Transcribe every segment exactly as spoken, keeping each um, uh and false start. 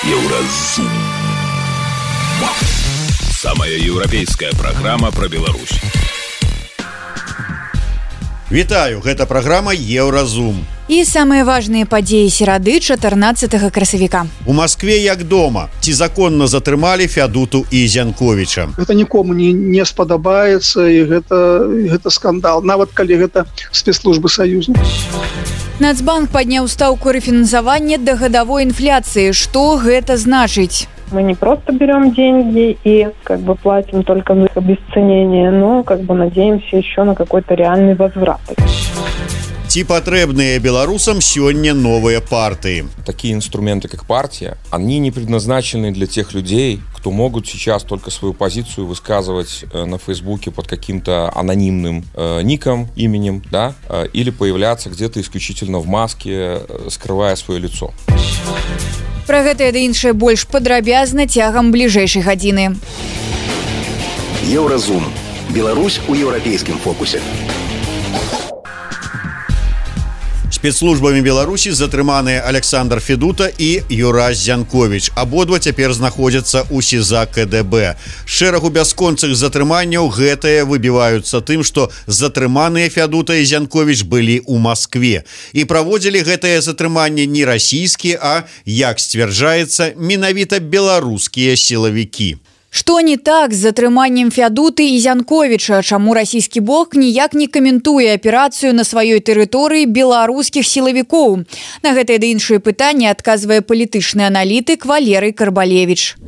Еўразум. Самая еўрапейская праграма пра Беларусь. Вітаю, гэта праграма Еўразум. І самыя важныя падзеі серады чатырнаццатага красавіка. У Маскве як дома. Ці законна затрымалі Фядуту і Зянковіча? Гэта нікому не, не спадабаецца, і гэта, гэта скандал, нават калі гэта спецслужбы саюзнікаў. Нацбанк падняў стаўку рэфінансавання да гадавой інфляцыі. Што гэта значыць? Мы не просто берем деньги и как бы платим только за их обесценение, но как бы надеемся еще на какой-то реальный возврат. Ці патрэбныя беларусам сёння новыя партии? Такие инструменты, как партия, они не предназначены для тех людей, кто могут сейчас только свою позицию высказывать на Фейсбуке под каким-то анонимным э, ником, именем, да, э, или появляться где-то исключительно в маске, э, скрывая свое лицо. Пра гэта і іншае больш падрабязна цягам бліжэйшай гадзіны. Еўразум. Беларусь у еўрапейскім фокусе. Спецслужбамі Беларусі затрыманыя Александр Федута і Юрась Зянковіч. Абодва цяпер знаходзяцца ў СІЗА ка дэ бэ. Шэрагу бясконцых затрыманняў гэтыя выбіваюцца тым, што затрыманыя Федута і Зянковіч былі ў Маскве. І праводзілі гэтае затрыманне не расійскія, а, як сцвярджаецца, менавіта беларускія сілавікі. Што не так з затрыманнем Фядуты і Зянковіча? Чаму расійскі бок ніяк не каментуе аперацыю на сваёй тэрыторыі беларускіх сілавікоў? На гэтыя ды іншыя пытанні адказвае палітычны аналітык Валерый Карбалевіч.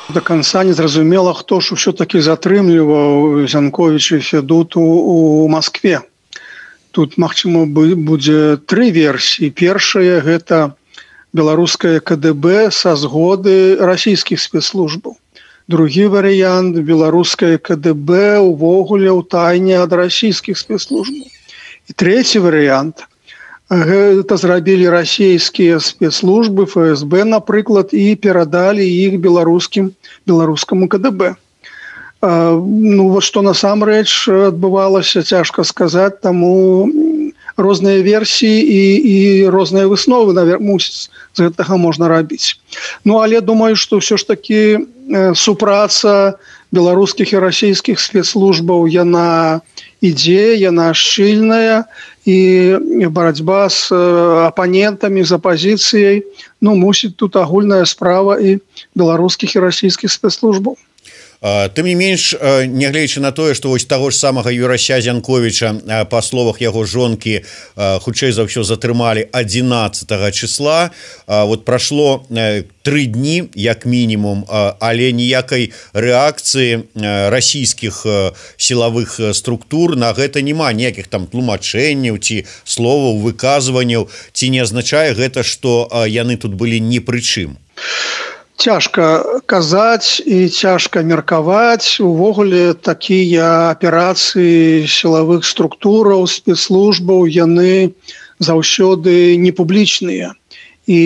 До конца не зразумела, хто ж ўсё-такі затрымліваў Зянковіча і Федуту ў Маскве. Тут, магчыма, будзе тры версіі. Першая – гэта беларускае ка дэ бэ са згоды расійскіх спецслужбаў. Другі варыянт – беларускае ка дэ бэ увогуле ў тайне ад расійскіх спецслужбаў. І трэці варыянт – гэта зрабілі расійскія спецслужбы, эф эс бэ, напрыклад, і перадалі іх беларускім беларускаму ка дэ бэ. Ну, вот што насамрэч адбывалася, цяжка сказаць, таму розныя версіі і, і розныя высновы, наверное, мусіць з гэтага можна рабіць. Ну, але думаю, што ўсё ж такі супраца беларускіх і расійскіх спецслужбаў, яна ідзе, яна шчыльная, і барацьба з апанентамі, з апазіцыяй, ну, мусіць тут агульная справа і беларускіх і расійскіх спецслужбаў. Тым не менш, нягледзячы на тое, што вось таго ж самага Юрася Зянковіча, па словах яго жонкі, хутчэй за ўсё затрымалі адзінаццатага числа, вот прашло тры дні як мінімум, але ніякай рэакцыі расійскіх сілавых структур на гэта няма, ніякіх там тлумачэнняў ці словаў, выказванняў. Ці не азначае гэта, што яны тут былі ні пры чым? Цяжка казаць і цяжка меркаваць. Увогуле такія аперацыі сілавых структураў, спецслужбаў, яны заўсёды не публічныя. І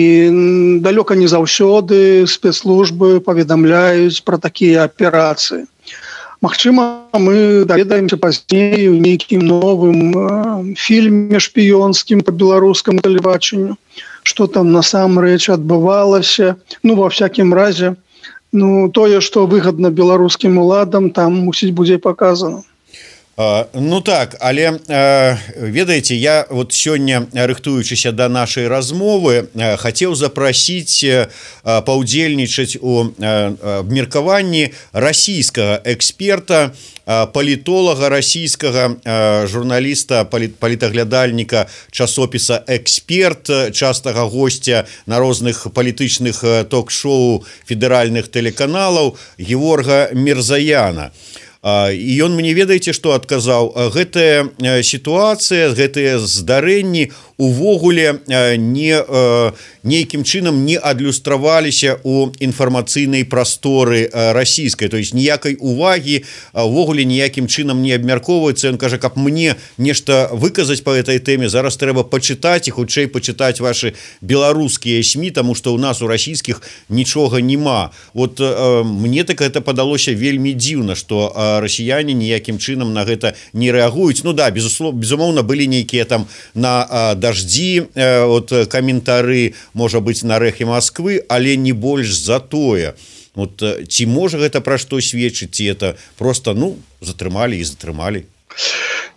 далёка не заўсёды спецслужбы паведамляюць пра такія аперацыі. Магчыма, мы даведаемся пазней у нейкім новым фільме шпіёнскім па беларускаму тэлебачанню, што там насамрэч адбывалася. Ну, ва всякім разе, ну, тое, што выгадна беларускім уладам, там мусіць будзе паказана. Ну так, але ведаеце, я вот сёння, рыхтуючыся да нашай размовы, хацеў запрасіць паўдзельнічаць у абмеркаванні расійскага эксперта, палітолага расійскага, журналіста, палітаглядальніка часопіса «Эксперт», частага гостя на розных палітычных ток-шоу федэральных тэлеканалаў Геворга Мірзаяна. І ён мне, ведаеце, што адказаў? Гэтая сітуацыя, гэтыя здарэнні увогуле не, нейкім чынам не адлюстраваліся ў інфармацыйнай прасторы расійскай. То есть ніякай увагі увогуле ніякім чынам не абмяркоўваецца. Ён кажа, каб мне нешта выказаць па гэтай тэме, зараз трэба пачытаць і хутчэй пачытаць вашы беларускія СМІ, таму што ў нас у расійскіх нічога няма. Вот мне так гэта падалося вельмі дзіўна, што расіяне ніякім чынам на гэта не рэагуюць. Ну да, безусловно, безумоўна, былі нейкія там на даждзі от каментары, можа быць, на рэхе Москвы, але не больш за тое. Вот ці можа гэта пра што сведчыць, ці это просто, ну, затрымалі і затрымалі?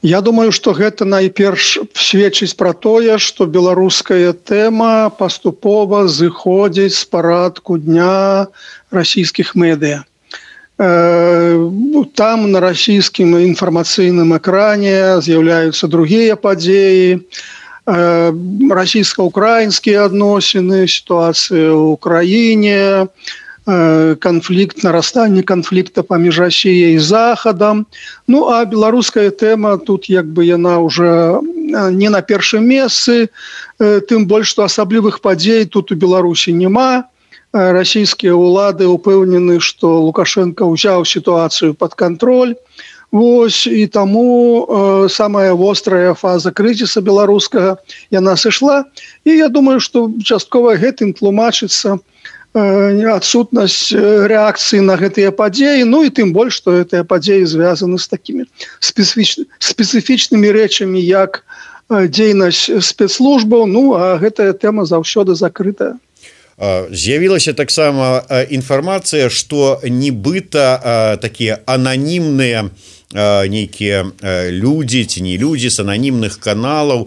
Я думаю, што гэта найперш сведчыць пра тое, што беларуская тэма паступова зыходзіць з парадку дня расійскіх медыа. Там на расійскім інфармацыйным экране з'яўляюцца другія падзеі, расійска-украінскія адносіны, сітуацыя ў краіне, конфликт, нарастание конфликта паміж Россией и Захадом. Ну, а белорусская тема тут як бы яна уже не на першым месцы, тым больш, что асаблівых падзей тут у Беларусі няма. Российские улады упэўнены, что Лукашенко узял ситуацию под контроль. Вось, и тому э, самая вострая фаза кризиса белорусского яна сышла. И я думаю, что часткова гэтым тлумачыцца адсутнасць рэакцыі на гэтыя падзеі, ну і тым больш, што гэтыя падзеі звязаны з такімі спецыфіч... спецыфічнымі рэчамі, як дзейнасць спецслужбаў, ну а гэтая тэма заўсёды закрытая. З'явілася таксама інфармацыя, што нібыта такія ананімныя нейкія людзі ці не людзі з ананімных каналаў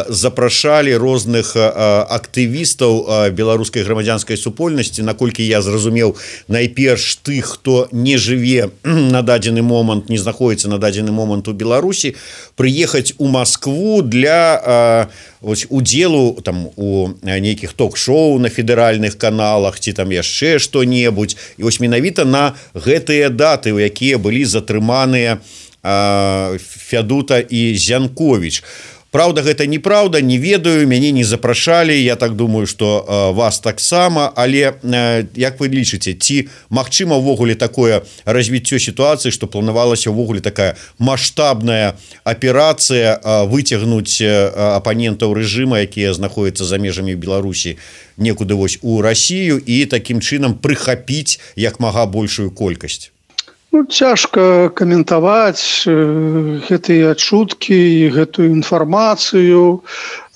запрашалі розных актывістаў беларускай грамадзянскай супольнасці. Наколькі я зразумеў, найперш тых, хто не жыве на дадзены момант, не знаходіцца на дадзены момант у Беларусі, прыехаць у Маскву для ось удзелу там у нейкіх ток-шоу на федэральных каналах ці там яшчэ што-небудзь. І вось менавіта на гэтыя даты, у якія былі затрыманыя Фядута і Зянковіч. Праўда, гэта неправда, не ведаю, мяне не запрашалі, я так думаю, што вас таксама, але як вы лічыце, ці магчыма ўвогуле такое развіццё сітуацыі, што планавалася ўвогуле такая маштабная аперацыя выцягнуць апанентаў рэжыма, якія знаходзяцца за межамі Беларусі, некуды вось у Расію і такім чынам прыхапіць як мага большую колькасць? Ну, цяжка каментаваць гэтыя чуткі і гэтую інфармацыю.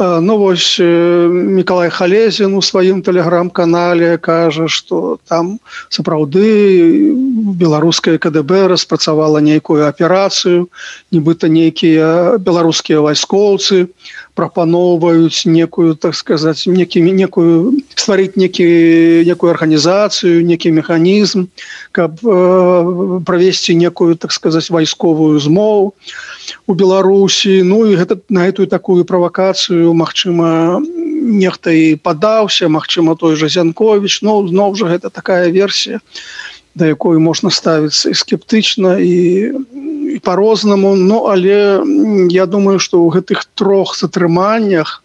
Ну, вось Мікалай Халезін у сваім тэлеграм-канале кажа, што там сапраўды беларускае КДБ распрацавала нейкую аперацыю, нібыта нейкія беларускія вайскоўцы прапаноўваюць некую, так сказаць, некімі, некую, стварыць некі, некую арганізацыю, некі механізм, каб э, правесці некую, так сказаць, вайсковую змову у Беларусі. Ну і гэта, на гэтую такую правакацыю, магчыма, нехта і падаўся, магчыма, той жа Зянковіч. Ну, зноў жа, гэта такая версія, да якой можна ставіцца і скептычна, і і по-рознаму, ну, але я думаю, што ў гэтых трох затрыманнях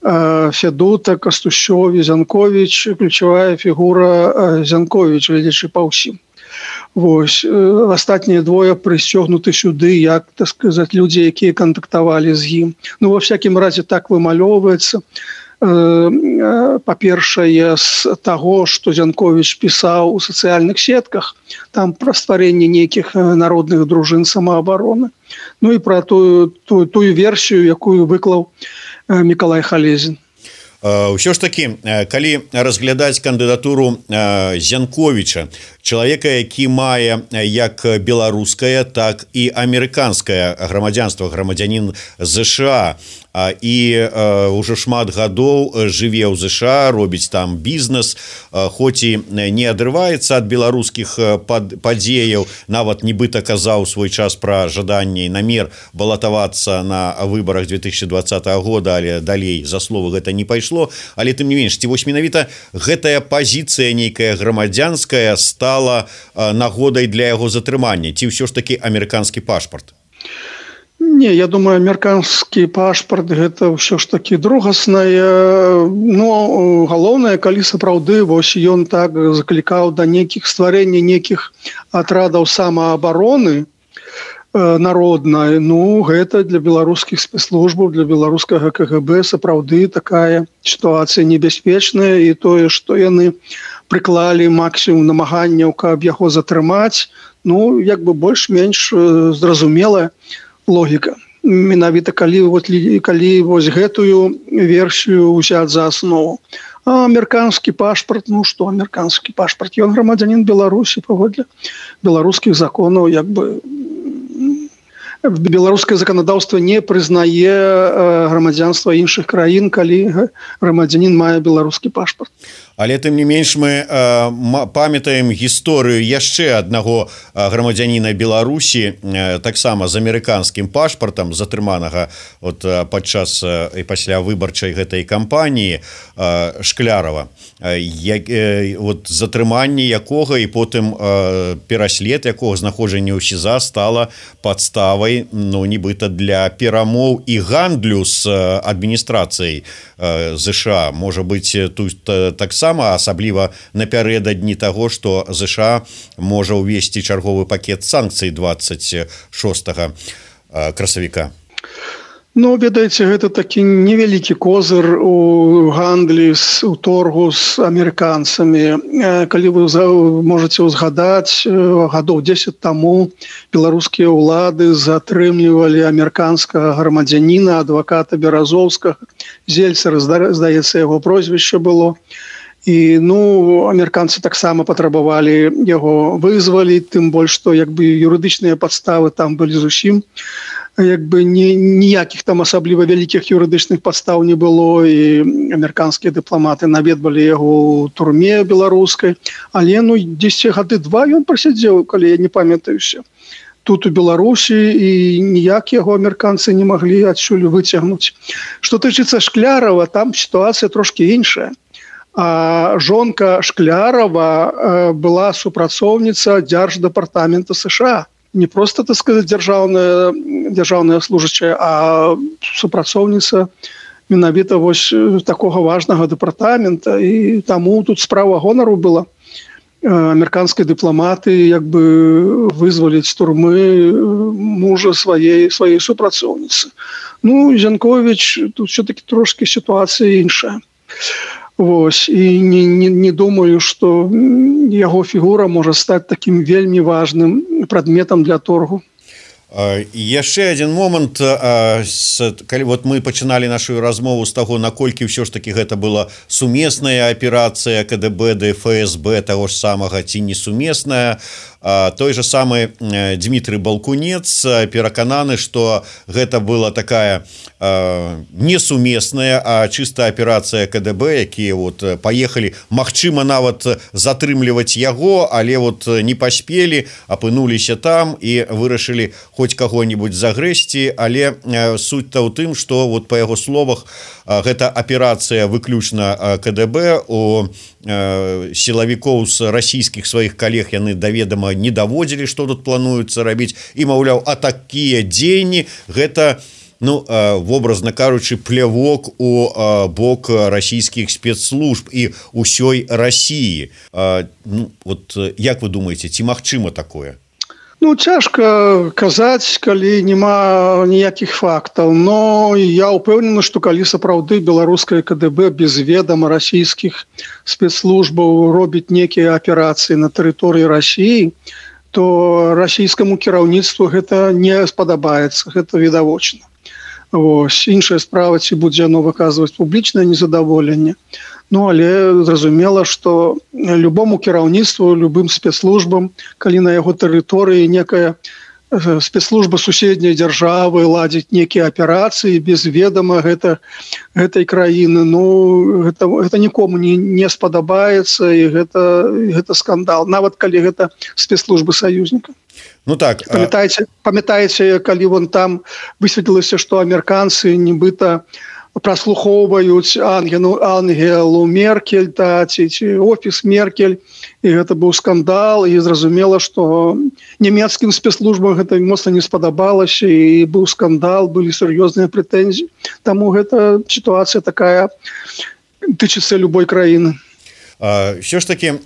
э, Фядута, Кастущов і Зянковіч, ключавая фігура Зянковіч, глядзячы па ўсім. Вось, э, астатнія двое прысцёгнуты сюды, як, так сказаць, людзі, якія кантактавалі з ім. Ну, ва всякім разе так вымалёўваецца. Па-першае, з таго, што Зянковіч пісаў у сацыяльных сетках, там пра стварэнне нейкіх народных дружын самаабароны. Ну і пра тую, тую, тую версію, якую выклаў Мікалай Халезін. Ўсё ж такі, калі разглядаць кандыдатуру Зянковіча, чалавека, які мае як беларускае, так і амерыканскае грамадзянства, грамадзянін ЗША, і ўжо шмат гадоў жыве ў ЗША, робіць там бізнес, хоць і не адрываецца ад беларускіх падзеяў, нават нібыта казаў свой час пра жаданне і намер балатавацца на выбарах две тысячи двадцатого года, але далей за словы гэта не пайшло. Але тым не менш, ці вось менавіта гэтая пазіцыя нейкая грамадзянская стала нагодай для яго затрымання, ці ўсё ж такі амерыканскі пашпарт? Не, я думаю, амерыканскі пашпарт гэта ўсё ж такі другаснае. Ну, галоўнае, калі сапраўды вось ён так заклікаў да нейкіх стварэння нейкіх атрадаў самаабароны народнай, ну, гэта для беларускіх спецслужбаў, для беларускага КГБ сапраўды такая сітуацыя небяспечная, і тое, што яны прыклалі максімум намаганняў, каб яго затрымаць. Ну, як бы больш-менш зразумелая логіка. Менавіта калі, вот, калі вось гэтую версію ўзяць за аснову. А амерыканскі пашпарт, ну што амерыканскі пашпарт? Ён грамадзянін Беларусі паводле беларускіх законаў, як бы беларускае заканадаўства не прызнае грамадзянства іншых краін, калі грамадзянін мае беларускі пашпарт. Але тым не менш мы э, памятаем гісторыю яшчэ аднаго грамадзяніна Беларусі, э, таксама з амерыканскім пашпартам, затрыманага от, падчас і пасля выбарчай гэтай кампаніі э, Шклярова. Э, э, от, затрыманне якога і потым э, пераслед якога знаходжанне ў СІЗА стала падставай, ну, нібыта для перамоў і гандлю з э, адміністрацыяй э, ЗША. Можа быць, тут э, таксама асабліва напярэдадні таго, што ЗША можа ўвесці чарговы пакет санкцый двадцать шостага красавіка. Ну, ведаеце, гэта такі невялікі козыр у гандлі, у торгу з амерыканцамі. Калі вы можаце ўзгадаць, гадоў дзесяць таму беларускія ўлады затрымлівалі амерыканскага грамадзяніна, адваката Беразовскага, Зельцера, здаецца, яго прозвішча было. І, ну, амерыканцы таксама патрабавалі яго вызваліць, тым больш, што як бы юрыдычныя падставы там былі зусім, як бы ні, ніякіх там асабліва вялікіх юрыдычных падстаў не было, і амерыканскія дыпламаты наведвалі яго ў турме беларускай, але, ну, дзесяць гады два ён прасядзеў, калі я не памятаюся, тут у Беларусі, і ніяк яго амерыканцы не маглі адсюль выцягнуць. Што тычыцца Шклярова, там сітуацыя трошкі іншая. А жонка Шклярова была супрацоўніца Дзярждэпартамента США. Не просто, так сказать, дзяржаўная, дзяржаўная служачая, а супрацоўніца менавіта вось такога важнага дэпартамента. І таму тут справа гонару была. Амерыканскія дыпламаты як бы вызваліць з турмы мужа сваей, сваей супрацоўніцы. Ну, Зянковіч, тут все-таки трошки ситуація іншая. Вось, і не, не, не думаю, што яго фігура можа стаць такім вельмі важным прадметам для торгу. Яшчэ адзін момант, калі вот мы пачыналі нашу размову з таго, наколькі ўсё ж такі гэта была сумесная аперацыя КДБ ды ФСБ таго ж самага ці не сумесная, той же самы Дмітрый Балкунец перакананы, што гэта была такая не сумесная, а чыста аперацыя КДБ, якія вот паехалі, магчыма нават затрымліваць яго, але вот не паспелі, апынуліся там і вырашылі хоць каго-нибудь загрэсці, але суть-то ў тым, што вот па яго словах гэта аперацыя выключна КДБ, у сілавікоў з расійскіх сваіх калег яны даведама не даводзілі, што тут плануецца рабіць, і маўляў, а такія дзеянні гэта, ну, вобразна кажучы, плявок у бок расійскіх спецслужб і ўсёй Расіі. Ну, вот як вы думаеце, ці магчыма такое? Ну, цяжка казаць, калі няма ніякіх фактаў, но я ўпэўнены, што калі сапраўды беларускае КДБ без ведама расійскіх спецслужбаў робіць некія аперацыі на тэрыторыі Расіі, то расійскаму кіраўніцтву гэта не спадабаецца, гэта відавочна. Вось, іншая справа, ці будзе яно выказваць публічнае незадаволенне. Ну, але зразумела, што любому кіраўніцтву, любым спецслужбам, калі на яго тэрыторыі некая спецслужба суседняй дзяржавы ладзіць некія аперацыі без ведама гэта, гэтай краіны, ну, гэта, гэта нікому не, не спадабаецца, і гэта, гэта скандал, нават калі гэта спецслужбы саюзніка. Ну так, памятаеце, памятаеце, калі вон там высветлілася, што амерыканцы нібыта праслухоўваюць Ангелу, Ангелу Меркель, та, ці, ці офіс Меркель, і гэта быў скандал, і зразумела, што нямецкім спецслужбам гэта моцна не спадабалася, і быў скандал, былі сур'ёзныя прэтэнзіі. Таму гэта сітуацыя такая тычыцца любой краіны. Все ж таки,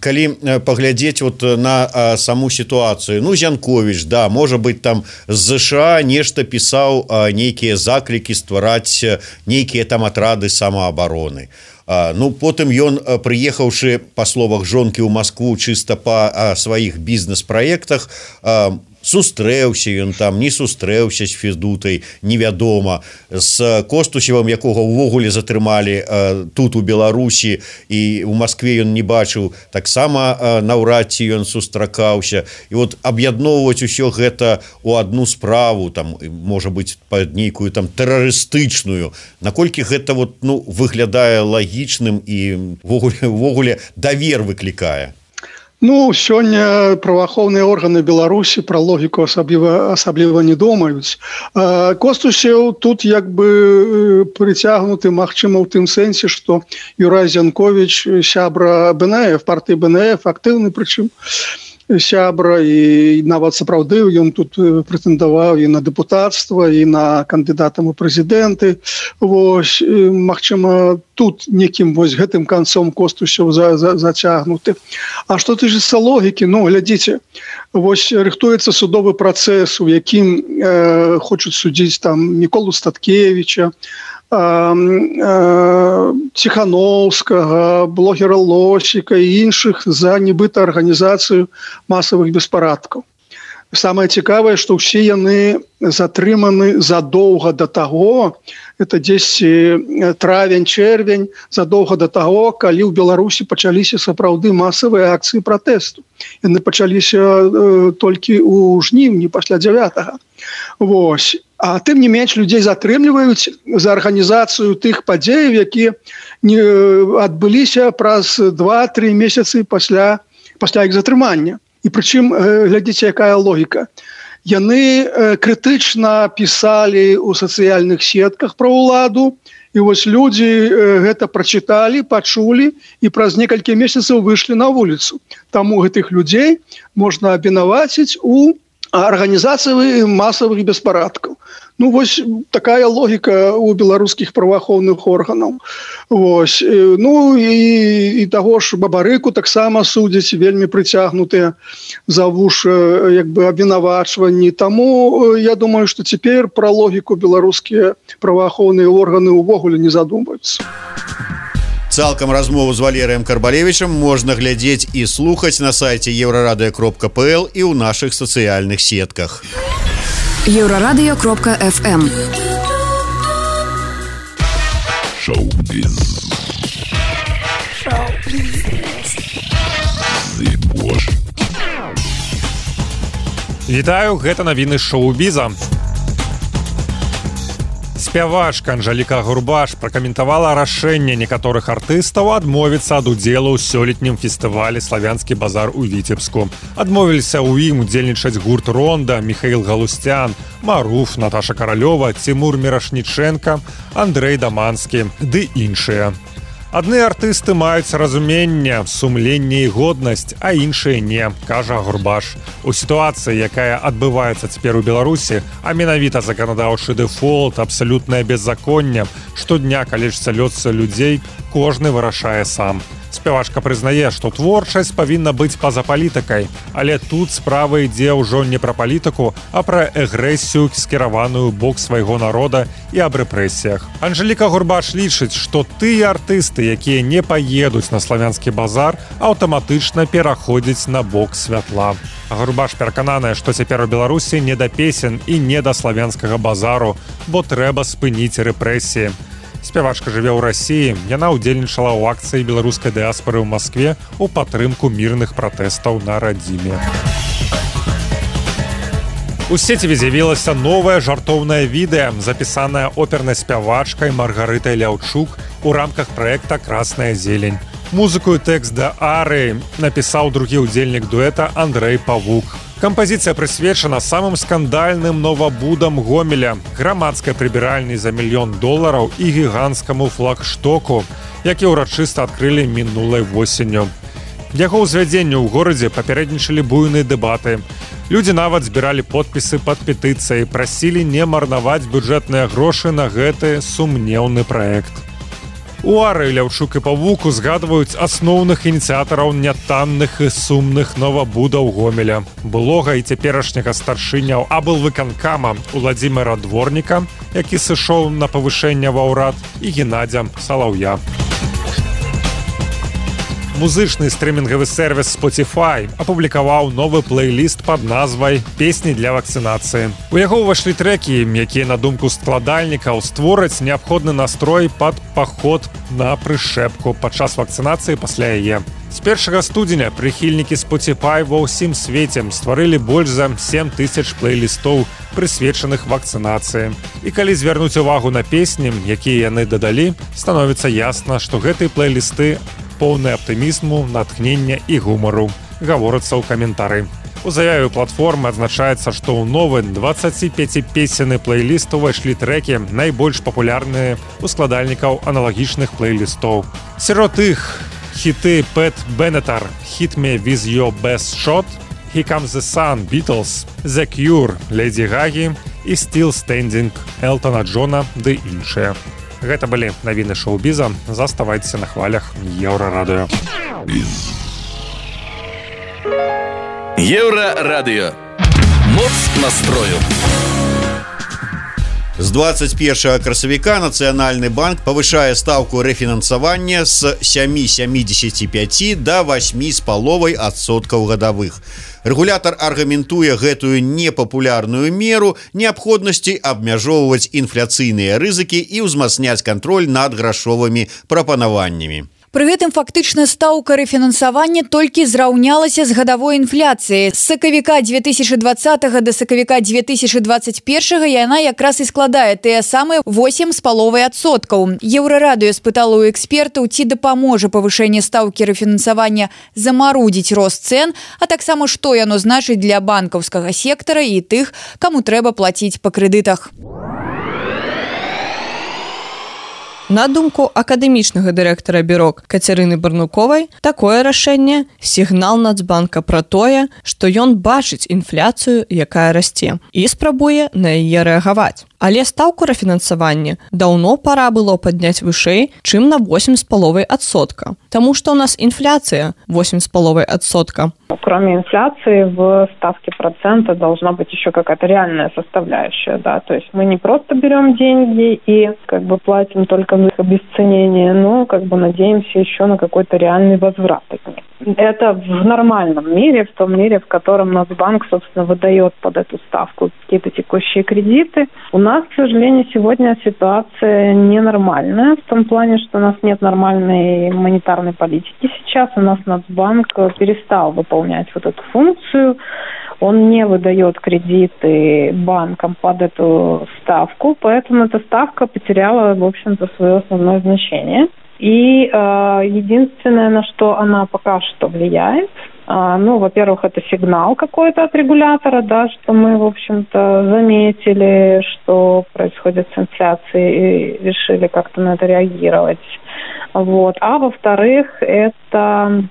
калі паглядзець вот на саму сітуацыю, ну Зянковіч, да, можа быть там з ЗША нешта пісаў нейкія заклікі ствараць нейкія там атрады самаабароны. Ну потым ён, прыехаўшы па словах жонкі ў Маскву чыста па сваіх бізнес-праектах, сустрэўся ён там, не сустрэўся з Федутай, невядома, з Костусевым, якога ўвогуле затрымалі тут у Беларусі і ў Маскве ён не бачыў, таксама наўрад ці ён сустракаўся. І вот аб'ядноўваць усё гэта ў адну справу, там можа быць пад нейкую там тэрарыстычную, наколькі гэта вот, ну, выглядае лагічным і ўвогуле давер выклікае. Ну, сёння праваахоўныя органы Беларусі пра логіку асабліва асабліва не думаюць. Костусеў тут як бы прыцягнуты, магчыма, ў тым сэнсе, што Юрай Зянковіч сябра БНФ, партыі БНФ, актыўны прычым сябра, і нават сапраўды ён тут прэтэндаваў і на дэпутацтва, і на кандыдатам у прэзідэнты. Вось, магчыма, тут некім вось гэтым канцом Костусеў за, за, зацягнуты. А што тычыцца логікі? Ну, глядзіце, вось рыхтуецца судовы працэс, у якім э, хочуць судзіць там Міколу Статкевіча, Ціхановскага, блогера Лосіка і іншых за нібыта арганізацыю масавых беспарадкаў. Самае цікавае, што ўсе яны затрыманы задоўга да таго, это дзесьці травень-чэрвень, задоўга да таго, калі ў Беларусі пачаліся сапраўды масавыя акцыі пратэсту. Яны пачаліся э, толькі ў жніўні пасля дзявятага. Вось. А тым не менш людзей затрымліваюць за арганізацыю тых падзеяў, якія не адбыліся праз два-тры месяцы пасля, пасля іх затрымання. І прычым, глядзіце, якая логіка. Яны крытычна пісалі ў сацыяльных сетках пра ўладу, і вось людзі гэта прачыталі, пачулі і праз некалькі месяцаў выйшлі на вуліцу. Таму гэтых людзей можна абвінаваціць у арганізацыі масавых беспарадкаў. Ну, вось такая логіка у беларускіх праваахоўных органаў. Вось. Ну, і, і таго ж Бабарыку таксама судзяць, вельмі прыцягнутыя за вуш як бы абвінавачванні. Таму я думаю, што цяпер пра логіку беларускія праваахоўныя органы ўвогуле не задумаюцца. Цалкам размову з Валерыем Карбалевічам можна глядзець і слухаць на сайце еўрарадыё кропка пэ эл і ў нашых сацыяльных сетках. еўрарадыё кропка эф эм. Шоу-біз. Вітаю, гэта навіны шоу-біза. Спявачка Анжэліка Гурбаш пракаментавала рашэнне некаторых артыстаў адмовіцца ад удзелу ў сёлетнім фестывалі «Славянскі базар» у Віцебску. Адмовіліся ў ім удзельнічаць гурт «Ронда», Міхаіл Галустян, Маруф, Наташа Каралёва, Цімур Мірашнічэнка, Андрэй Даманскі ды іншыя. Адны артысты маюць разуменне, сумленне і годнасць, а іншыя не, кажа Гурбаш. У сітуацыі, якая адбываецца цяпер у Беларусі, а менавіта заканадаўчы дэфолт, абсалютнае беззаконне, штодня калечыцца лёс людзей, кожны вырашае сам. Спявачка прызнае, што творчасць павінна быць па-за палітыкай, але тут справа ідзе ўжо не пра палітыку, а пра агрэсію, скіраваную бок свайго народа і аб рэпрэсіях. Анжэліка Гурбаш лічыць, што тыя артысты, якія не паедуць на славянскі базар, аўтаматычна пераходзяць на бок святла. Гурбаш перакананая, што цяпер у Беларусі не да песен і не да славянскага базару, бо трэба спыніць рэпрэсіі. Спявачка жыве ў Расіі, яна ўдзельнічала ў акцыі беларускай дыаспары ў Маскве ў падтрымку мірных пратэстаў на радзіме. У сеціве з'явілася новае жартоўнае відэа, запісанае опернай спявачкай Маргарытай Ляўчук у рамках праекта «Красная зелень». Музыку і тэкст да арыі напісаў другі ўдзельнік дуэта Андрэй Павук. Кампазіцыя прысвечана самым скандальным новабудам Гомеля, грамадскай прыбіральні за мільён долараў і гіганцкаму флагштоку, які ўрачыста адкрылі мінулай восенню. Яго ўзвядзенню ў горадзе папярэднічалі буйныя дэбаты. Людзі нават збіралі подпісы пад петыцыяй, прасілі не марнаваць бюджэтныя грошы на гэты сумнеўны праект. Уары, Ляўчук і Павук узгадваюць асноўных ініцыятараў нятанных і сумных новабудаў Гомеля. Былога і цяперашняга старшыняў аблвыканкама Уладзіміра Дворніка, які сышоў на павышэнне ва ўрад, і Геннадзя Салаўя. Музычны стрымінгавы сервіс Spotify апублікаваў новы плейліст пад назвай «Песні для вакцынацыі». У яго ўвайшлі трэкі, якія, на думку складальнікаў, створаць неабходны настрой пад паход на прышэпку падчас вакцынацыі пасля яе. З першага студзеня прыхільнікі Spotify ва ўсім свеце стварылі больш за сем тысяч плейлістоў, прысвечаных вакцынацыі. І калі звярнуць увагу на песні, якія яны дадалі, становіцца ясна, што гэтыя плейлісты поўны аптымізму, натхнення і гумару, гаворыцца ў каментары. У заяве платформы адзначаецца, што ў новы дваццаціпяціпесенны плейліст увайшлі трэкі, найбольш папулярныя ў складальнікаў аналагічных плейлістоў. Сярод іх хіты Пэт Беннетар, «Hit Me With Your Best Shot», «Here Comes the Sun», Beatles, «The Cure», Леді Гагі і «Still Standing» Элтона Джона ды іншыя. Гэта былі навіны шоу-біза. Заставайцеся на хвалях Еўрарадыё. Еўрарадыё. Моц настрою. З двадцать першага красавіка Нацыянальны банк павышае стаўку рэфінансавання з сем семдзесят пять да восьмі з паловай адсоткаў гадавых. Рэгулятар аргументуе гэтую непапулярную меру неабходнасці абмяжоўваць інфляцыйныя рызыкі і ўзмацняць кантроль над грашовымі прапанаваннямі. Пры гэтым фактычна стаўка рэфінансавання толькі зраўнялася з гадавой інфляцыяй. З сакавіка две тысячы двадцатага да сакавіка две тысячы двадцать першага яна якраз і складае тыя самыя восемь з паловай адсоткаў. Еўрарадыё спытала ў экспертаў, ці дапаможа павышэнне стаўкі рэфінансавання замарудзіць рост цэн, а таксама што яно значыць для банкаўскага сектара і тых, каму трэба плаціць па крэдытах. На думку акадэмічнага дырэктара бюро Кацярыны Барнуковай, такое рашэнне – сігнал Нацбанка пра тое, што ён бачыць інфляцыю, якая расце, і спрабуе на яе рэагаваць. Але стаўку рэфінансавання даўно пара было падняць вышэй, чым на восемь з паловай адсотка. Таму што у нас инфляция восемь с половиной отсотка. Кроме инфляции в ставке процента должна быть еще какая-то реальная составляющая, да, то есть мы не просто берем деньги и как бы платим только за их обесценение, но как бы надеемся еще на какой-то реальный возврат от них. Это в нормальном мире, в том мире, в котором Нацбанк, собственно, выдает под эту ставку какие-то текущие кредиты. У нас, к сожалению, сегодня ситуация ненормальная, в том плане, что у нас нет нормальной монетарной политики сейчас. У нас Нацбанк перестал выполнять вот эту функцию. Он не выдает кредиты банкам под эту ставку, поэтому эта ставка потеряла, в общем-то, свое основное значение. И э, единственное, на что она пока что влияет, э, ну, во-первых, это сигнал какой-то от регулятора, да, что мы, в общем-то, заметили, что происходит с инфляцией, и решили как-то на это реагировать. Вот. А во-вторых, это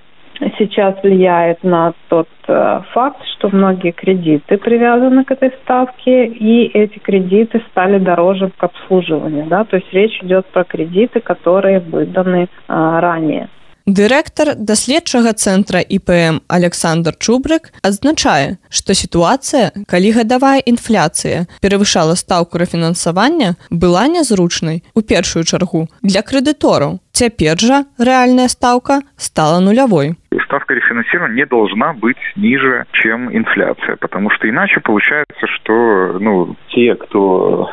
сейчас влияет на тот э, факт, что многие кредиты привязаны к этой ставке, и эти кредиты стали дороже к обслуживанию, да, то есть речь идет про кредиты, которые выданы э, ранее. Дырэктар даследчага цэнтра І Пэ Эм Александр Чубрык адзначае, што сітуацыя, калі гадавая інфляцыя перавышала стаўку рэфінансавання, была нязручнай у першую чаргу для крэдытораў. Цяпер жа рэальная стаўка стала нулявой. Ставка рефинансирования не должна быть ниже, чем инфляция, потому что иначе получается, что ну, те, кто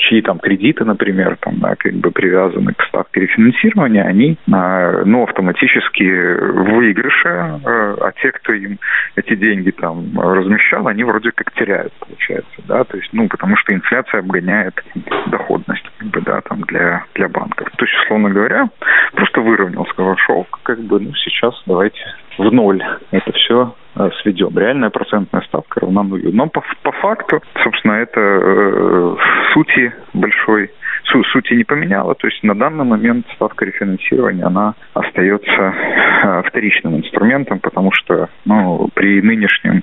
чьи там кредиты, например, там, да, как бы привязаны к ставке рефинансирования, они ну, автоматически в выигрыше, а те, кто им эти деньги там размещал, они вроде как теряют, получается, да, то есть, ну, потому что инфляция обгоняет доходность, как бы, да, там, для, для банков. То есть, условно говоря, просто выровнял, сказал, шелк, как бы, ну, сейчас давайте в ноль это все сведем. Реальная процентная ставка равна нулю. Но по, по факту, собственно, это э, сути большой, су, сути не поменяла. То есть на данный момент ставка рефинансирования, она остается э, вторичным инструментом, потому что ну, при нынешнем,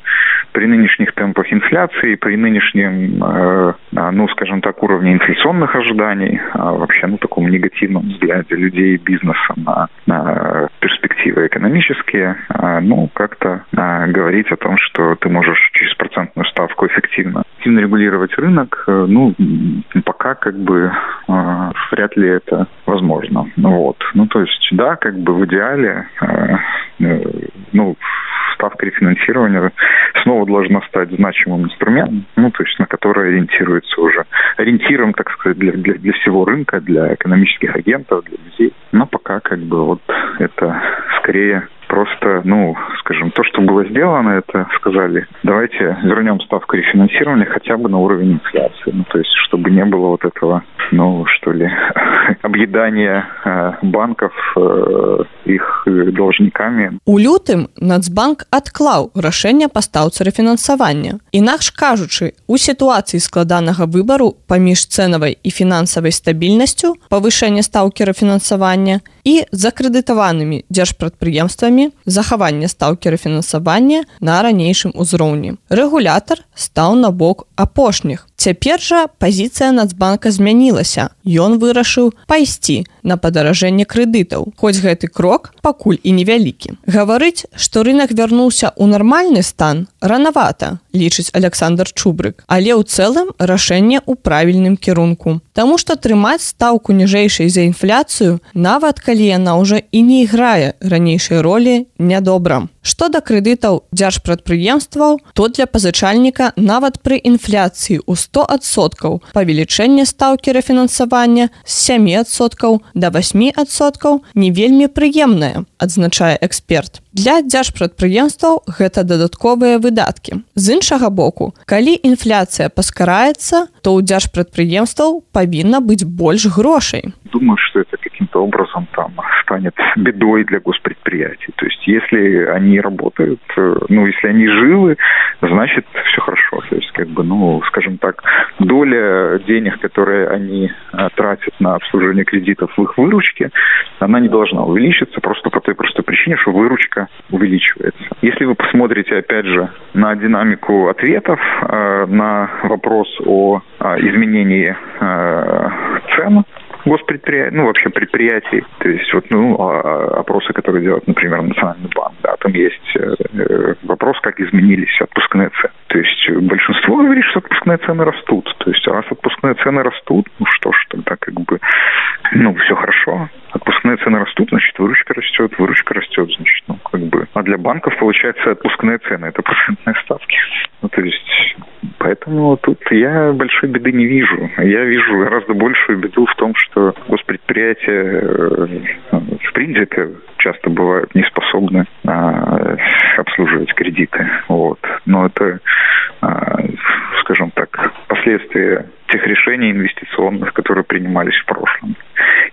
при нынешних темпах инфляции, при нынешнем, э, ну, скажем так, уровне инфляционных ожиданий, а вообще, ну, таком негативном взгляде людей и бизнеса на, на перспективы экономические, э, ну, как-то э, говорить о том, что ты можешь через процентную ставку эффективно, эффективно регулировать рынок, э, ну, пока как бы э, вряд ли это возможно. Ну, вот. Ну, то есть, да, как бы в идеале, э, э, ну, ставка рефинансирования снова должна стать значимым инструментом, ну, то есть на который ориентируется уже ориентиром, так сказать, для, для, для всего рынка, для экономических агентов, для людей. Но пока как бы вот это скорее просто, ну, скажем, то, что было сделано, это сказали, давайте вернем ставку рефинансирования хотя бы на уровень инфляции. Ну, то есть, чтобы не было вот этого, ну, что ли, объедания э, банков э, их должниками. У лютым Нацбанк адклаў рашэнне па стаўцы рэфінансавання. Інакш кажучы, у сітуацыі складанага выбару паміж цэнавай і фінансавай стабільнасцю, павышэнне стаўкі рэфінансавання і закрэдытаванымі дзяржпрадпрыемствамі захаванне стаўкі рэфінансавання на ранейшым узроўні. Рэгулятар стаў на бок апошніх. Цяпер жа пазіцыя Нацбанка змянілася. Ён вырашыў пайсці на падаражэнне крэдытаў. Хоць гэты крок пакуль і невялікі. Гаварыць, што рынок вярнуўся ў нармальны стан, ранавата, лічыць Александр Чубрык. Але ў цэлым рашэнне ў правільным кірунку. Таму што трымаць стаўку ніжэйшай за інфляцыю, нават калі яна ўжо і не іграе ранейшай ролі, нядобра. Што да крэдытаў дзяржпрадпрыемстваў, то для пазычальніка нават пры інфляцыі ў сто адсоткаў павелічэнне стаўкі рэфінансавання з сем адсоткаў да восьмі адсоткаў не вельмі прыемнае, адзначае эксперт. Для дзяржпрадпрыемстваў гэта дадатковыя выдаткі. З іншага боку, калі інфляцыя паскараецца, то ў дзяржпрадпрыемстваў павінна быць больш грошай. Думаю, что это каким-то образом там станет бедой для госпредприятий. То есть, если они работают, ну, если они живы, значит, все хорошо. То есть, как бы, ну, скажем так, доля денег, которые они а, тратят на обслуживание кредитов в их выручке, она не должна увеличиться просто по той простой причине, что выручка увеличивается. Если вы посмотрите, опять же, на динамику ответов э, на вопрос о э, изменении э, цен госпредприятий, ну, вообще предприятий, то есть вот, ну, опросы, которые делает, например, Национальный банк, да, там есть э, вопрос, как изменились отпускные цены. То есть большинство говорит, что отпускные цены растут. То есть раз отпускные цены растут, ну что ж, тогда как бы, ну, все хорошо. Отпускные цены растут, значит, выручка растет, выручка растет, значит, ну, как бы. А для банков, получается, отпускные цены – это процентные ставки. Ну, то есть, поэтому тут я большой беды не вижу. Я вижу гораздо большую беду в том, что госпредприятия, в принципе, часто бывают не способны а, обслуживать кредиты. Вот. Но это, а, скажем так, последствия тех решений инвестиционных, которые принимались в прошлом,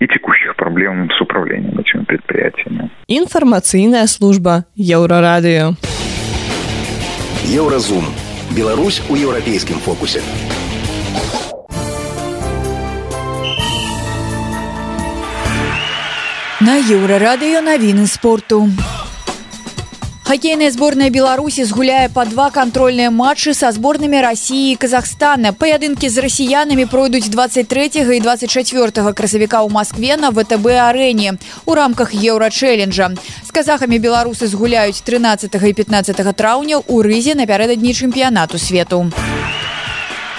и текущих проблем с управлением этими предприятиями. Информационная служба Еврорадио. Еўразум. Беларусь у еўрапейскім фокусе. На Еўрарадыё навіны спорту. Хоккейная сборная Беларуси згуляе по два контрольные матчы со сборными России и Казахстана. Поединки с россиянами пройдут двадцать третьего и двадцать четвёртого красавіка ў Москве на ВТБ-арене у рамках Еўра-челленджа. С казахами беларусы згуляюць тринадцатого и пятнадцатого траўня у Рызе напярэдадні чэмпіянату свету.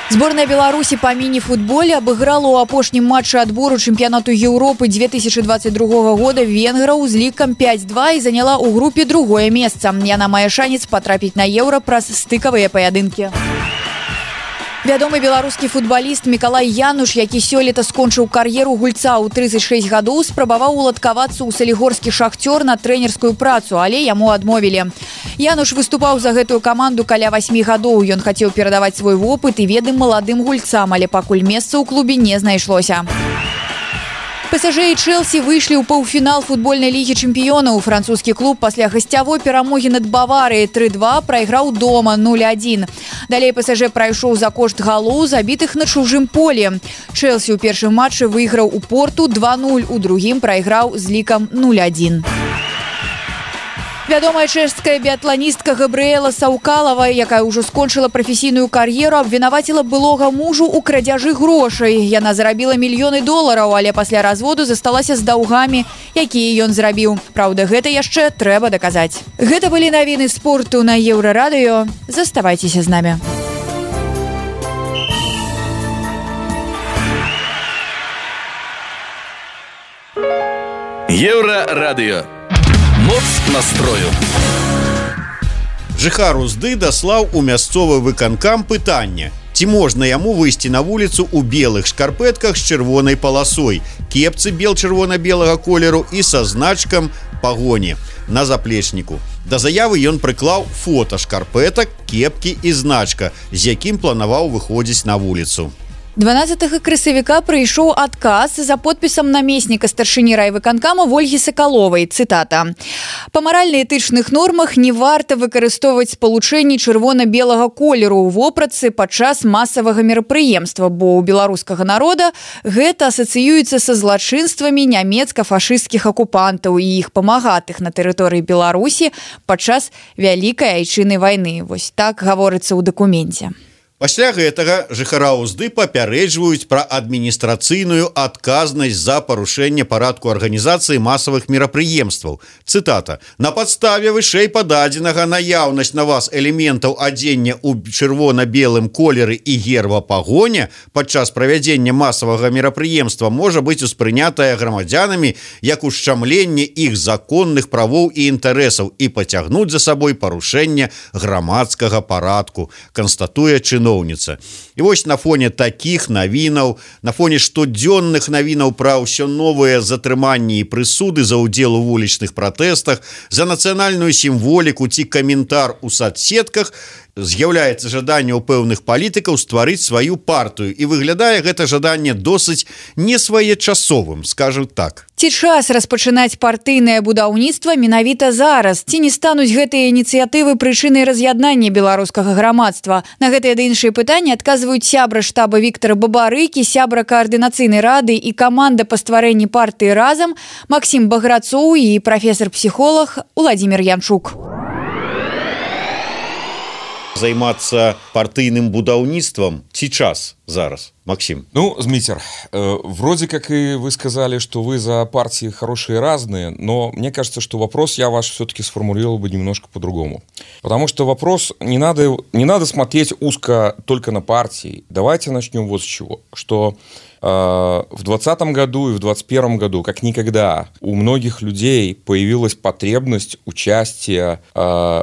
Сборная Беларуси по мини-футболе обыграла у апошнім матче отбору чемпионату Европы две тысячи двадцать другого года венграў з лікам пять два и заняла у группе другое место. Яна мае шанец потрапіць на Еўра праз стыкавыя паядынкі. Вядомы беларускі футбаліст Мікалай Януш, які сёлета скончыў кар'еру гульца ў тридцать шесть гадоў, спрабаваў уладкавацца ў салігорскі шахцёр на трэнерскую працу, але яму адмовілі. Януш выступаў за гэтую каманду каля восьмі гадоў. Ён хацеў перадаваць свой вопыт і веды маладым гульцам, але пакуль месца ў клубе не знайшлося. ПСЖ и Челси вышли ў паўфінал футбольнай лігі чэмпіёнаў. Французскі клуб пасля гасцявой перамогі над Баварыяй три два прайграў дома ноль один. Далей ПСЖ прайшоў за кошт галоў, забітых на чужым полі. Челси ў першым матчы выйграў у Порту два нуль, у другім прайграў з лікам ноль один. Вядомая чэшская біятланістка Габрыэла Саўкалава, якая ўжо скончыла прафесійную кар'еру, абвінаваціла былога мужу ў крадзяжы грошай. Яна зарабіла мільёны долараў, але пасля разводу засталася з даўгамі, якія ён зрабіў. Праўда, гэта яшчэ трэба даказаць. Гэта былі навіны спорту на Еўрарадыё. Заставайцеся з намі. Еўрарадыё. Моц настрою. Жыхар Узды даслаў у мясцовы выканкам пытанне: ці можна яму выйсці на вуліцу ў белых шкарпэтках з чырвонай паласой, кепцы бел-чырвона-белага колеру і са значкам пагоні на заплечніку. Да заявы ён прыклаў фота шкарпэтак, кепкі і значка, з якім планаваў выходзіць на вуліцу. дванаццатага красавіка прыйшоў адказ за подпісам намесніка старшыні райвыканкама Вольгі Сакаловай. Цытата: «Па маральна-этычных нормах не варта выкарыстоўваць спалучэнні чырвона-белага колеру ў вопратцы падчас масавага мерапрыемства, бо ў беларускага народа гэта асацыюецца са злачынствамі нямецка-фашысцкіх акупантаў і іх памагатых на тэрыторыі Беларусі падчас Вялікай айчыннай вайны». Вось так гаворыцца ў дакуменце. Пасля гэтага жыхара Узды папярэджваюць пра адміністрацыйную адказнасць за парушэнне парадку арганізацыі масавых мерапрыемстваў. Цытата: «На падставе вышэй пададзенага наяўнасць на вас элементаў адзення ў чырвона-белым колеры і герба пагоня падчас правядзення масавага мерапрыемства можа быць успрынятая грамадзянамі як ушчамленне іх законных правоў і інтарэсаў і пацягнуць за сабой парушэнне грамадскага парадку», канстатуе чыноўніца. І вось на фоне такіх навінаў, на фоне штодзённых навінаў пра ўсё новыя затрыманні і прысуды за ўдзел у вулічных пратэстах, за нацыянальную сімволіку ці каментар у соцсетках, з'яўляецца жаданне ў пэўных палітыкаў стварыць сваю партыю, і выглядае гэта жаданне досыць несвоечасовым, скажем так. Ці час распачынаць партыйнае будаўніцтва менавіта зараз? Ці не стануць гэтыя ініцыятывы прычынай раз'яднання беларускага грамадства? На гэтыя ды іншыя пытанні адказваюць сябра штаба Віктара Бабарыкі, сябра каардынацыйнай рады і каманда па стварэнні партыі «Разам» Максім Баграцоў і прафесар-псіхолог Уладзімір Янчук. Займацца партыйным будаўніцтвам ці час зараз, Максим? Ну, Змитер, э, вроде как и вы сказали, что вы за партии хорошие и разные, но мне кажется, что вопрос я ваш все-таки сформулировал бы немножко по-другому. Потому что вопрос не надо, не надо смотреть узко только на партии. Давайте начнем вот с чего. Что э, в двадцатом году и в двадцать первом году, как никогда, у многих людей появилась потребность участия э,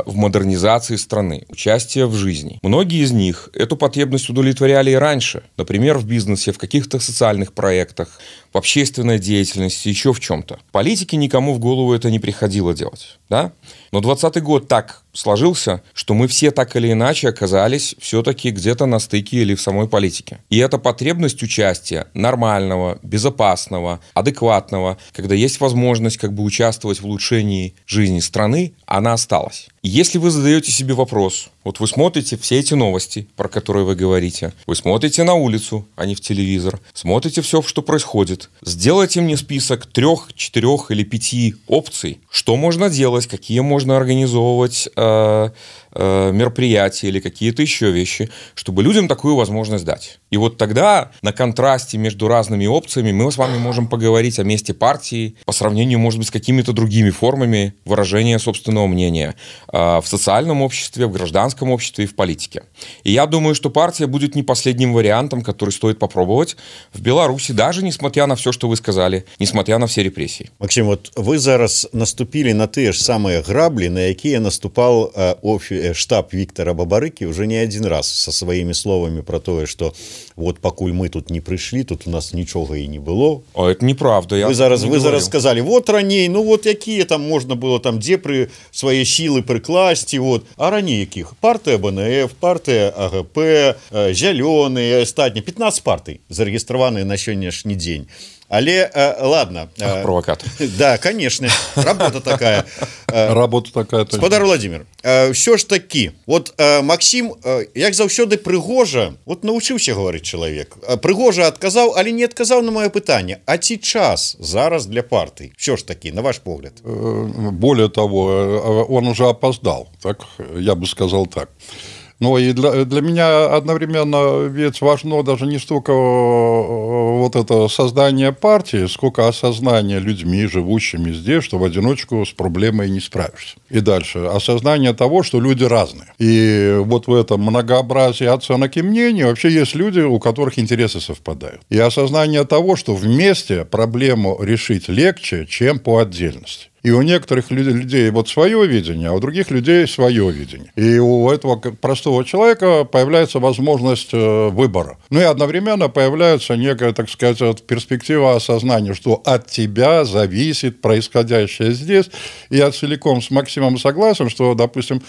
в модернизации страны, участия в жизни. Многие из них эту потребность удовлетворяли и раньше. Например, в бизнесе, в каких-то социальных проектах, в общественной деятельности, еще в чем-то. Политике никому в голову это не приходило делать. Да? Но двадцатый год так сложился, что мы все так или иначе оказались все-таки где-то на стыке или в самой политике. И эта потребность участия нормального, безопасного, адекватного, когда есть возможность как бы участвовать в улучшении жизни страны, она осталась. И если вы задаете себе вопрос, вот вы смотрите все эти новости, про которые вы говорите, вы смотрите на улицу, а не в телевизор, смотрите все, что происходит, сделайте мне список трех, четырех или пяти опций, что можно делать, какие можно организовывать э, э, мероприятия или какие-то еще вещи, чтобы людям такую возможность дать. И вот тогда на контрасте между разными опциями мы с вами можем поговорить о месте партии по сравнению, может быть, с какими-то другими формами выражения собственного мнения э, в социальном обществе, в гражданском обществе и в политике. И я думаю, что партия будет не последним вариантом, который стоит попробовать в Беларуси, даже несмотря на все, что вы сказали, несмотря на все репрессии. Максим, вот вы зараз наступили на те же самые грабли, на якія наступал э, офи, штаб Виктора Бабарыки уже не один раз со своими словами про то, что вот покуль мы тут не пришли, тут у нас ничего и не было. А это неправда. Я вы зараз, не вы говорю. зараз сказали, вот ранее, ну вот какие там можно было там, где при свои силы прикласть, вот. А ранее каких? Партия БНФ, партия АГП, э, Зеленые, остатние, пятнадцать партий зарегистрированные на сегодняшний день. Але э, ладно. Ах, провокатор. Да, конечно. Работа такая. Работа такая. Спадар Владимир, все ж таки, вот Максим, як заўсёды прыгожа, вот научыўся говорить человек. Прыгожа отказаў, але не отказаў на мое пытанне. А ці час зараз для партии? Все ж таки, на ваш погляд. Более того, он уже опоздал, так я бы сказал так. Но и для, для меня одновременно ведь важно даже не столько вот это создание партии, сколько осознание людьми, живущими здесь, что в одиночку с проблемой не справишься. И дальше осознание того, что люди разные. И вот в этом многообразии оценок и мнений вообще есть люди, у которых интересы совпадают. И осознание того, что вместе проблему решить легче, чем по отдельности. И у некоторых людей вот свое видение, а у других людей свое видение. И у этого простого человека появляется возможность выбора. Ну и одновременно появляется некая, так сказать, перспектива осознания, что от тебя зависит происходящее здесь. И я целиком с Максимом согласен, что, допустим,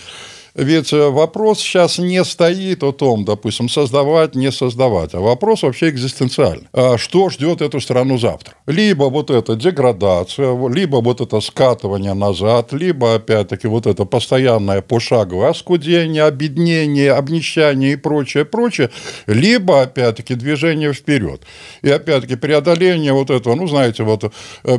ведь вопрос сейчас не стоит о том, допустим, создавать, не создавать, а вопрос вообще экзистенциальный. Что ждет эту страну завтра? Либо вот эта деградация, либо вот это скатывание назад, либо, опять-таки, вот это постоянное пошаговое оскудение, обеднение, обнищание и прочее, прочее, либо, опять-таки, движение вперед. И, опять-таки, преодоление вот этого, ну, знаете, вот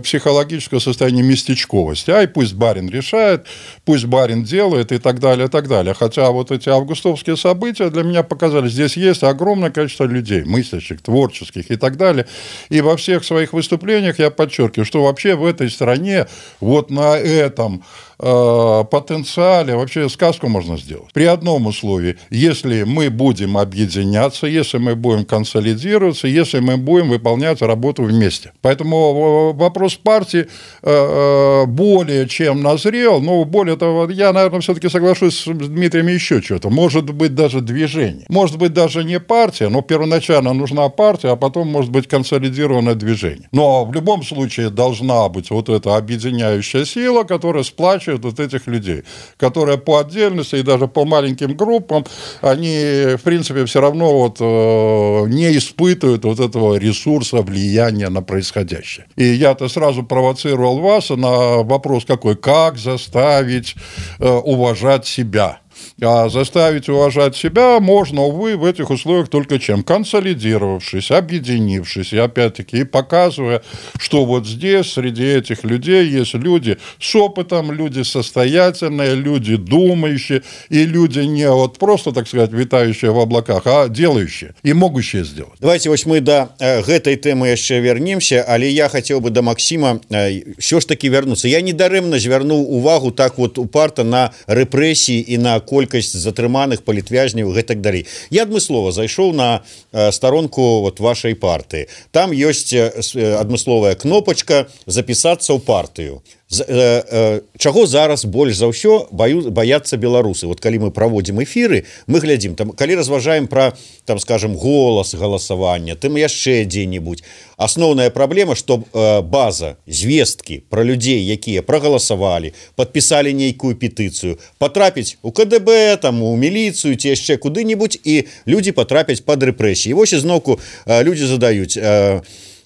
психологического состояния местечковости. Ай, пусть барин решает, пусть барин делает и так далее, и так далее. Хотя вот эти августовские события для меня показали, здесь есть огромное количество людей, мыслящих, творческих и так далее. И во всех своих выступлениях я подчеркиваю, что вообще в этой стране вот на этом э, потенциале вообще сказку можно сделать. При одном условии, если мы будем объединяться, если мы будем консолидироваться, если мы будем выполнять работу вместе. Поэтому вопрос партии э, более чем назрел, но более того, я, наверное, все-таки соглашусь с Дмитрием еще что-то. Может быть, даже движение. Может быть, даже не партия, но первоначально нужна партия, а потом, может быть, консолидированное движение. Но в любом случае должна быть вот эта объединяющая сила, которая сплачивает вот этих людей, которая по отдельности и даже по маленьким группам, они, в принципе, все равно вот, э, не испытывают вот этого ресурса влияния на происходящее. И я-то сразу провоцировал вас на вопрос какой? Как заставить э, уважать себя? А заставить уважать себя можно, увы, в этих условиях только чем? Консолидировавшись, объединившись, и опять-таки и показывая, что вот здесь среди этих людей есть люди с опытом, люди состоятельные, люди думающие, и люди не вот просто, так сказать, витающие в облаках, а делающие и могущие сделать. Давайте вот мы до э, этой темы еще вернемся, але я хотел бы до Максима э, все ж таки вернуться. Я недарэмна звярнуў увагу так вот упарта на рэпрэсіі і на колькасць затрыманых палітвязняў і так далей. Я адмыслова зайшоў на э, старонку вот вашай партыі. Там ёсць э, адмысловая кнопачка запісацца ў партыю. З, э, э, чаго зараз больш за ўсё баю, баяцца беларусы. Вот калі мы праводзім эфіры, мы глядзім там, калі разважаем пра там, скажем, голас галасавання, тым яшчэ дзе-нибудь. Асноўная праблема, што э, база звесткі пра людзей, якія прагаласавалі, падпісалі нейкую петыцыю, патрапіць у ка дэ бэ, там у міліцыю ці яшчэ куды-нибудь, і людзі патрапяць пад рэпрэсіі. Вось ізноўку э, людзі задаюць э,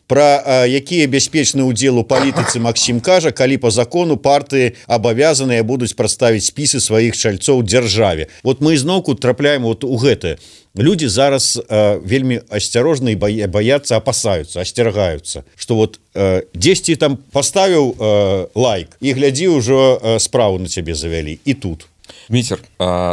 Пра якія бяспечны ўдзел у палітыцы Максім кажа, калі па закону партыі абавязаныя будуць прадставіць спісы сваіх чальцоў дзяржаве. Вот мы ізноўку трапляем вот у гэтае. Людзі зараз э, вельмі асцярожна і баяцца, апасаюцца, асцерагаюцца, што вот э, дзесьці там паставіў э, лайк і глядзі ўжо э, справу на цябе завялі. І тут. Дмитр,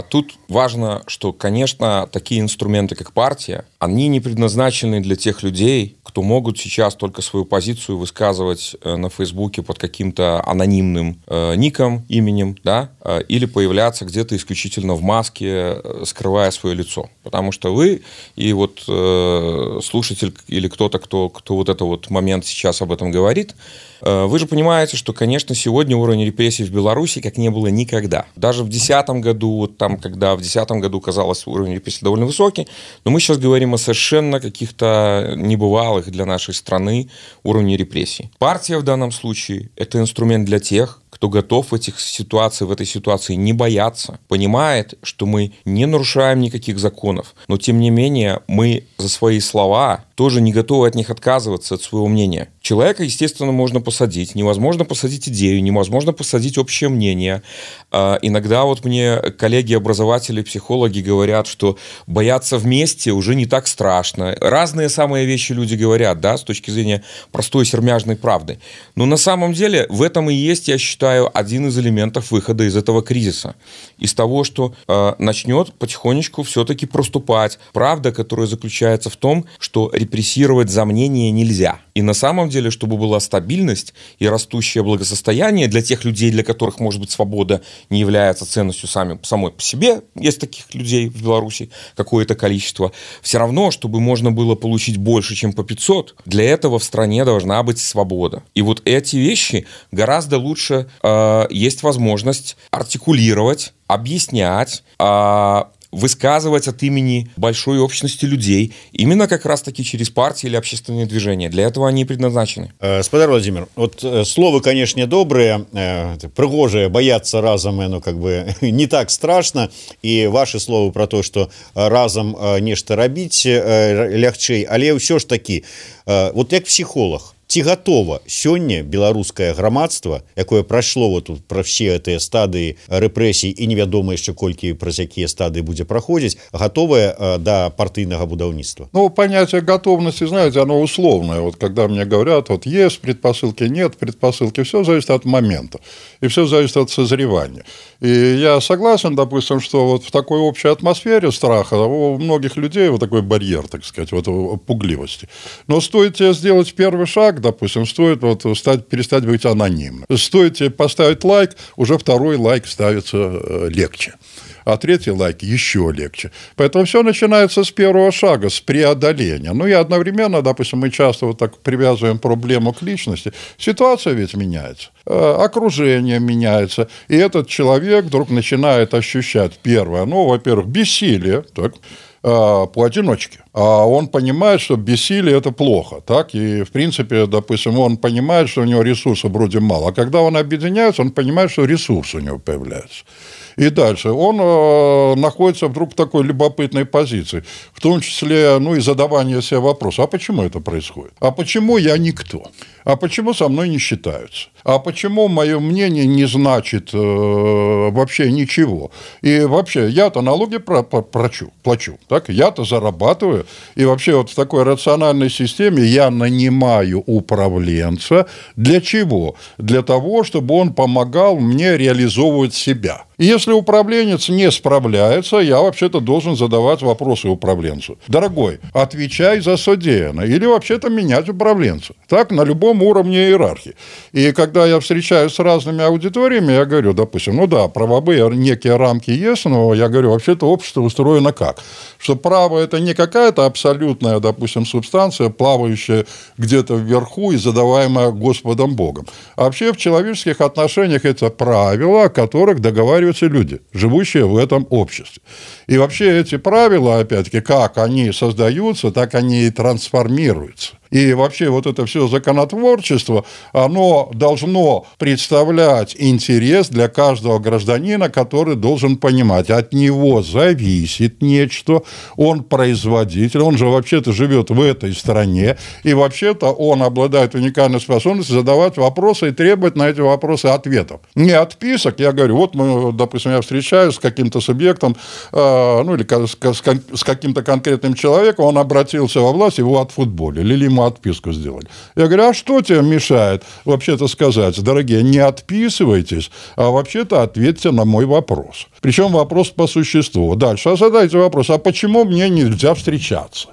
тут важно, что, конечно, такие инструменты, как партия, они не предназначены для тех людей, кто могут сейчас только свою позицию высказывать на Фейсбуке под каким-то анонимным э, ником, именем, да, э, или появляться где-то исключительно в маске, скрывая свое лицо. Потому что вы и вот э, слушатель или кто-то, кто, кто вот этот вот момент сейчас об этом говорит, э, вы же понимаете, что, конечно, сегодня уровень репрессий в Беларуси как не было никогда. Даже в десятом году, вот там, когда в десятом году казалось уровень репрессий довольно высокий, но мы сейчас говорим о совершенно каких-то небывалых для нашей страны уровней репрессий. Партия в данном случае – это инструмент для тех, кто готов в этих ситуациях, в этой ситуации не бояться, понимает, что мы не нарушаем никаких законов, но тем не менее мы за свои слова тоже не готовы от них отказываться, от своего мнения. Человека, естественно, можно посадить. Невозможно посадить идею, невозможно посадить общее мнение. Иногда вот мне коллеги-образователи, психологи говорят, что бояться вместе уже не так страшно. Разные самые вещи люди говорят, да, с точки зрения простой сермяжной правды. Но на самом деле в этом и есть, я считаю, один из элементов выхода из этого кризиса. Из того, что э, начнет потихонечку все-таки проступать правда, которая заключается в том, что репрессировать за мнение нельзя. И на самом деле, чтобы была стабильность и растущее благосостояние для тех людей, для которых, может быть, свобода не является ценностью сами, самой по себе, есть таких людей в Беларуси какое-то количество, все равно, чтобы можно было получить больше, чем по пятьсот, для этого в стране должна быть свобода. И вот эти вещи гораздо лучше э, есть возможность артикулировать, объяснять, э, высказывать от имени большой общности людей, именно как раз-таки через партии или общественные движения. Для этого они и предназначены. Спадар Владимир, вот слово, конечно, добрые, пригожие, бояться разом, ну, как бы не так страшно, и ваши словы про то, что разом нешта рабіць лягчэй, але ўсё ж таки, вот як психолог, ці готова сёння беларускае грамадства, якое прайшло вот тут про все гэтыя стадыі рэпрэсій і невядома яшчэ колькі праз якія стадыі будзе праходзіць, готовое до партыйнага будаўніцтва? Ну, понятие готовности, знаете, оно условное. Вот когда мне говорят, вот есть предпосылки, нет предпосылки, все зависит от момента, и все зависит от созревания. И я согласен, допустим, что вот в такой общей атмосфере страха у многих людей вот такой барьер, так сказать, вот пугливости. Но стоит тебе сделать первый шаг, допустим, стоит вот стать, перестать быть анонимным. Стоит тебе поставить лайк, уже второй лайк ставится легче. А третий лайк еще легче. Поэтому все начинается с первого шага, с преодоления. Ну и одновременно, допустим, мы часто вот так привязываем проблему к личности. Ситуация ведь меняется, окружение меняется, и этот человек вдруг начинает ощущать первое, ну, во-первых, бессилие, так, поодиночке. А он понимает, что бессилие – это плохо. Так? И, в принципе, допустим, он понимает, что у него ресурсов вроде мало. А когда он объединяется, он понимает, что ресурсы у него появляются. И дальше он э, находится вдруг в такой любопытной позиции, в том числе, ну, и задавание себе вопроса, а почему это происходит? А почему я никто? А почему со мной не считаются? А почему мое мнение не значит э, вообще ничего? И вообще, я-то налоги про- про- плачу, плачу, так? Я-то зарабатываю, и вообще вот в такой рациональной системе я нанимаю управленца. Для чего? Для того, чтобы он помогал мне реализовывать себя. И если управленец не справляется, я вообще-то должен задавать вопросы управленцу. Дорогой, отвечай за содеянное. Или вообще-то менять управленца. Так, на любом уровне иерархии. И когда я встречаюсь с разными аудиториями, я говорю, допустим, ну да, правовые некие рамки есть, но я говорю, вообще-то общество устроено как? Что право – это не какая-то абсолютная, допустим, субстанция, плавающая где-то вверху и задаваемая Господом Богом. А вообще в человеческих отношениях это правила, о которых договариваются люди, живущие в этом обществе. И вообще эти правила, опять-таки, как они создаются, так они и трансформируются. И вообще вот это все законотворчество, оно должно представлять интерес для каждого гражданина, который должен понимать, от него зависит нечто, он производитель, он же вообще-то живет в этой стране, и вообще-то он обладает уникальной способностью задавать вопросы и требовать на эти вопросы ответов. Не отписок, я говорю, вот мы, допустим, я встречаюсь с каким-то субъектом, э, ну или с, с каким-то конкретным человеком, он обратился во власть, его отфутболили, или ему отписку сделали. Я говорю, а что тебе мешает вообще-то сказать, дорогие, не отписывайтесь, а вообще-то ответьте на мой вопрос. Причем вопрос по существу. Дальше, а задайте вопрос, а почему мне нельзя встречаться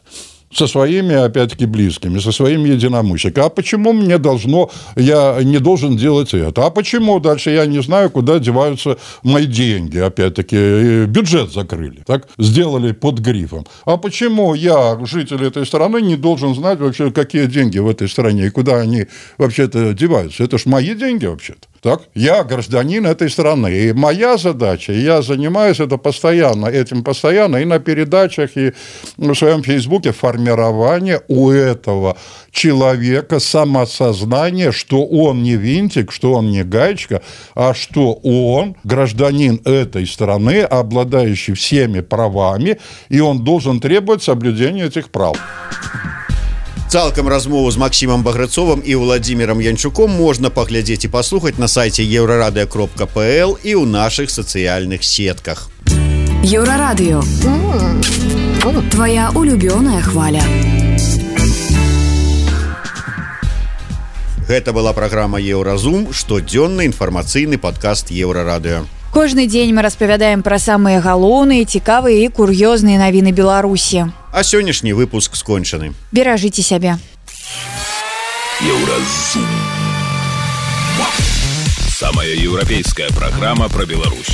со своими, опять-таки, близкими, со своими единомышленниками? А почему мне должно, я не должен делать это? А почему дальше я не знаю, куда деваются мои деньги? Опять-таки, бюджет закрыли, так? Сделали под грифом. А почему я, житель этой страны, не должен знать вообще, какие деньги в этой стране и куда они вообще-то деваются? Это ж мои деньги вообще-то. Так? Я гражданин этой страны, и моя задача, я занимаюсь это постоянно, этим постоянно, и на передачах, и в своем фейсбуке формирование у этого человека самосознания, что он не винтик, что он не гаечка, а что он гражданин этой страны, обладающий всеми правами, и он должен требовать соблюдения этих прав. Цалкам размову з Максімам Баграцовым і Владзімірам Янчуком можна паглядзець і паслухаць на сайце еўрарадыё кропка пл і ў нашых сацыяльных сетках. Еўрарадыё. Твоя улюбёная хваля. Гэта была праграма «Еўразум», штодзённы інфармацыйны падкаст Еўрарадыё. Кожны дзень мы распавядаем пра самыя галоўныя, цікавыя і кур'ёзныя навіны Беларусі. А сённяшні выпуск скончаны. Беражыце сябе. Еўразум. Самая еўрапейская праграма пра Беларусь.